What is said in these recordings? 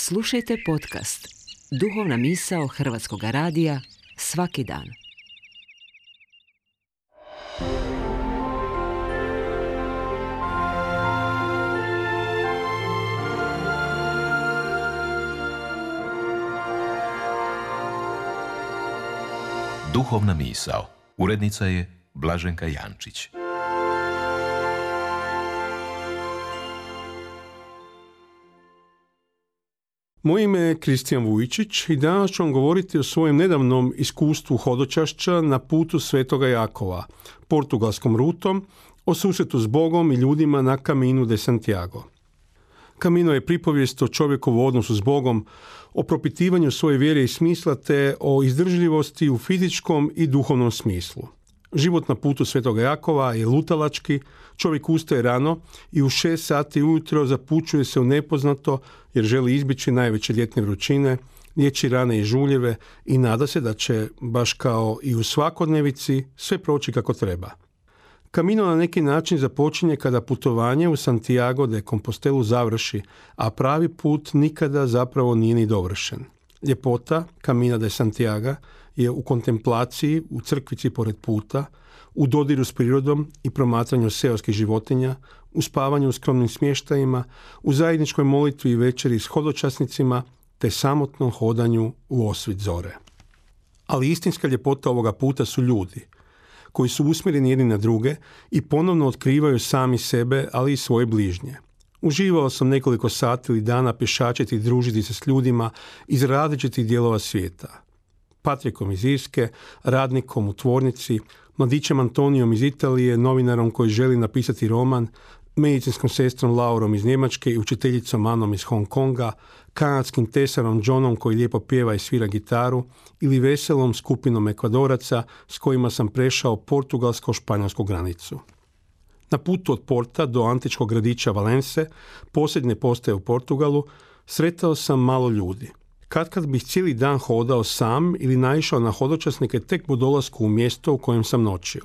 Slušajte podcast Duhovna misao Hrvatskog radija svaki dan. Duhovna misao. Urednica je Blaženka Jančić. Moje ime je Kristijan Vujčić i danas ću vam govoriti o svojem nedavnom iskustvu hodočašća na putu Svetoga Jakova, portugalskom rutom, o susretu s Bogom i ljudima na Caminu de Santiago. Camino je pripovijest o čovjekovu odnosu s Bogom, o propitivanju svoje vjere i smisla te o izdržljivosti u fizičkom i duhovnom smislu. Život na putu Svetoga Jakova je lutalački, čovjek ustaje rano i u 6 sati ujutro zapućuje se u nepoznato jer želi izbjeći najveće ljetne vrućine, liječi rane i žuljeve i nada se da će, baš kao i u svakodnevici, sve proći kako treba. Camino na neki način započinje kada putovanje u Santiago de Compostelu završi, a pravi put nikada zapravo nije ni dovršen. Ljepota Camina de Santiago je u kontemplaciji, u crkvici pored puta, u dodiru s prirodom i promatranju seoskih životinja, u spavanju u skromnim smještajima, u zajedničkoj molitvi i večeri s hodočasnicima, te samotnom hodanju u osvit zore. Ali istinska ljepota ovoga puta su ljudi, koji su usmjereni jedni na druge i ponovno otkrivaju sami sebe, ali i svoje bližnje. Uživao sam nekoliko sati ili dana pješačiti i družiti se s ljudima iz različitih dijelova svijeta. Patrikom iz Irske, radnikom u tvornici, mladićem Antonijom iz Italije, novinarom koji želi napisati roman, medicinskom sestrom Laurom iz Njemačke i učiteljicom Anom iz Hong Konga, kanadskim tesarom Johnom koji lijepo pjeva i svira gitaru ili veselom skupinom Ekvadoraca s kojima sam prešao portugalsko-španjolsku granicu. Na putu od Porta do antičkog gradića Valence, posljednje postaje u Portugalu, sretao sam malo ljudi. Kad bih cijeli dan hodao sam ili naišao na hodočasnike tek po dolasku u mjesto u kojem sam noćio.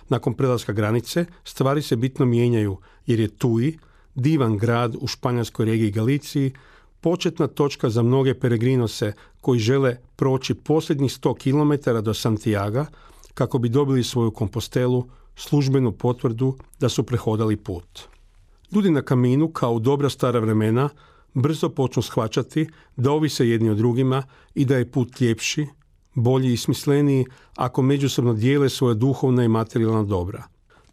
Nakon prelaska granice stvari se bitno mijenjaju jer je Tui, divan grad u španjolskoj regiji Galiciji, početna točka za mnoge peregrinose koji žele proći posljednjih 100 km do Santiaga kako bi dobili svoju kompostelu, službenu potvrdu da su prehodali put. Ljudi na Caminu, kao u dobra stara vremena, brzo počnu shvaćati da ovise jedni od drugima i da je put ljepši, bolji i smisleniji ako međusobno dijele svoje duhovna i materijalna dobra.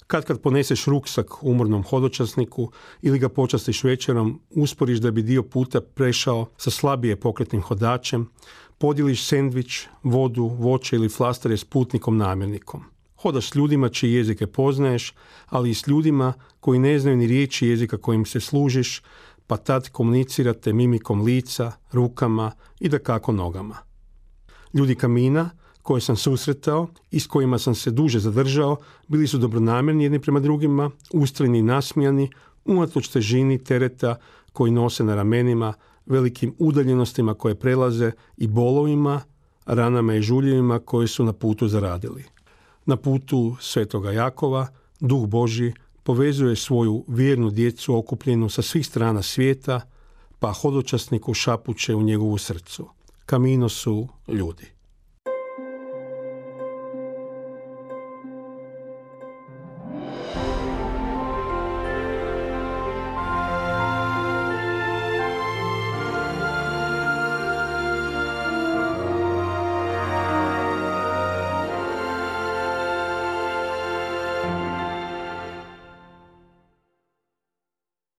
Kad poneseš ruksak umornom hodočasniku ili ga počastiš večerom, usporiš da bi dio puta prešao sa slabije pokretnim hodačem, podijeliš sendvič, vodu, voće ili flastare s putnikom namjernikom. Hodaš s ljudima čiji jezike poznaješ, ali i s ljudima koji ne znaju ni riječi jezika kojim se služiš, pa tad komunicirate mimikom lica, rukama i dakako nogama. Ljudi Camina koje sam susretao i s kojima sam se duže zadržao bili su dobronamjerni jedni prema drugima, ustrajni i nasmijani, unatoč težini tereta koji nose na ramenima, velikim udaljenostima koje prelaze i bolovima, ranama i žuljevima koje su na putu zaradili. Na putu Svetoga Jakova Duh Božji povezuje svoju vjernu djecu okupljenu sa svih strana svijeta, pa hodočasniku šapuće u njegovu srcu. Camino su ljudi.